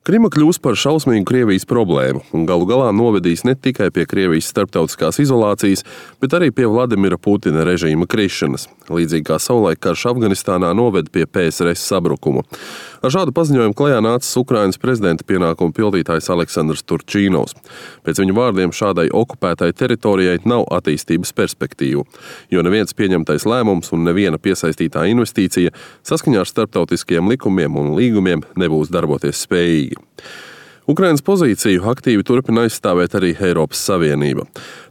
Krima kļūs par šausmīgu Krievijas problēmu un galu galā novedīs ne tikai pie Krievijas starptautiskās izolācijas, bet arī pie Vladimira Putina režīma krišanas, līdzīgi kā savulaik karš Afganistānā noved pie PSRS sabrukuma. Ar šādu paziņojumu klajā nācis Ukrainas prezidenta pienākumu pildītājs Aleksandrs Turčīnovs. Pēc viņa vārdiem šādai okupētai teritorijai nav attīstības perspektīvu, jo neviens pieņemtais lēmums un neviena piesaistītā investīcija saskaņā ar starptautiskajiem likumiem un līgumiem nebūs darboties spējīgi. Ukrainas pozīciju aktīvi turpina aizstāvēt arī Eiropas Savienība.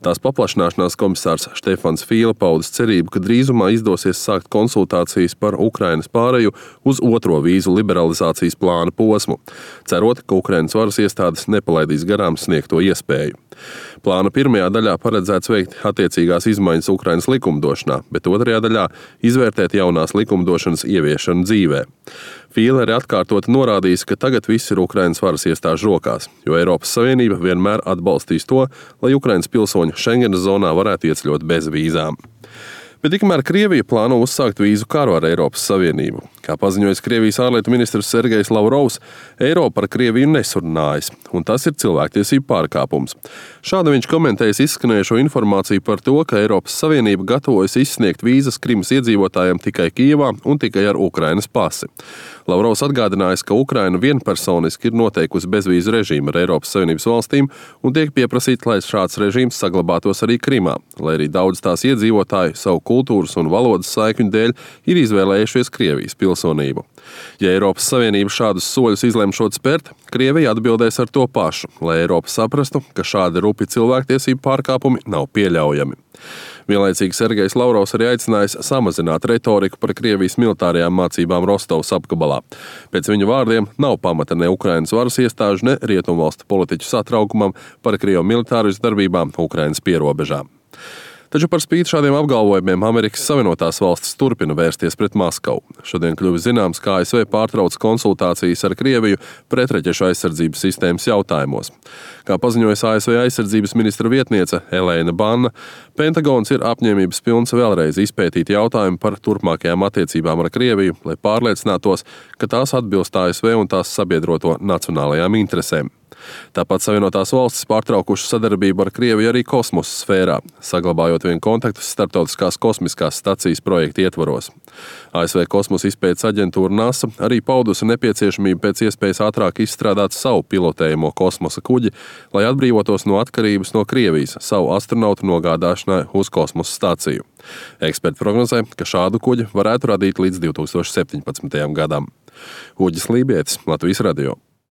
Tās paplašināšanās komisārs Štefans Fīle paudis cerību, ka drīzumā izdosies sākt konsultācijas par Ukrainas pāreju uz otro vīzu liberalizācijas plāna posmu, cerot, ka Ukrainas varas iestādes nepalaidīs garām sniegto iespēju. Plāna pirmajā daļā paredzēts veikt attiecīgās izmaiņas Ukrainas likumdošanā, bet otrajā daļā izvērtēt jaunās likumdošanas ieviešanu dzīvē. Fīle arī atkārtoti norādījis, ka tagad viss ir Ukrainas varas iestāžu rokās, jo Eiropas Savienība vienmēr atbalstīs to, lai Ukrainas pilsoņi Schengenas zonā varētu ieceļot bez vīzām. Bet tikmēr Krievija plāno uzsākt vīzu karu ar Eiropas Savienību. Kā paziņojis Krievijas ārlietu ministrs Sergejs Lavrovs, Eiropa ar Krieviju nesurunājas, un tas ir cilvēktiesību pārkāpums. Šādi viņš komentējis izskanējušo informāciju par to, ka Eiropas Savienība gatavojas izsniegt vīzas Krimas iedzīvotājiem tikai Kijevā un tikai ar Ukrainas pasi. Lavrovs atgādinājis, ka Ukraina vienpersoniski ir noteikusi bezvīzu režīmu ar Eiropas Savienības valstīm un tiek pieprasīts, lai šāds režīms saglabātos arī Krimā, lai arī daudz tās iedzīvotāju savu kultūras un valodas saikņu dēļ ir izvēlējušies Krievijas pilsonību. Ja Eiropas Savienība šādus soļus izlemšot spērt, Krievija atbildēs ar to pašu, lai Eiropa saprastu, ka šādi rupi cilvēktiesību pārkāpumi nav pieļaujami. Vienlaicīgi Sergejs Lavrovs arī aicinājis samazināt retoriku par Krievijas militārajām mācībām Rostovas apgabalā. Pēc viņa vārdiem nav pamata ne Ukrainas varas iestāžu, ne rietumvalstu politiķu satraukumam par Krievu militāristu darbībām Ukrainas pierobežām. Taču par spīti šādiem apgalvojumiem Amerikas Savienotās valstis turpina vērsties pret Maskavu. Šodien kļuvis zināms, ka ASV pārtrauc konsultācijas ar Krieviju pretraķešu aizsardzības sistēmas jautājumos. Kā paziņojas ASV aizsardzības ministra vietniece Elēna Banna, Pentagons ir apņēmības pilns vēlreiz izpētīt jautājumu par turpmākajām attiecībām ar Krieviju, lai pārliecinātos, ka tās atbilst ASV un tās sabiedroto nacionālajām interesēm. Tāpat Savienotās valstis pārtraukušas sadarbību ar Krieviju arī kosmosa sfērā, saglabājot vien kontaktus starptautiskās kosmiskās stacijas projekta ietvaros. ASV kosmosa izpētes aģentūra NASA arī paudusi nepieciešamību pēc iespējas ātrāk izstrādāt savu pilotējumu kosmosa kuģi, lai atbrīvotos no atkarības no Krievijas savu astronautu nogādāšanai uz kosmosa staciju. Eksperti prognozē, ka šādu kuģi varētu radīt līdz 2017. gadam. Uģis Lībietis, Latvijas radio.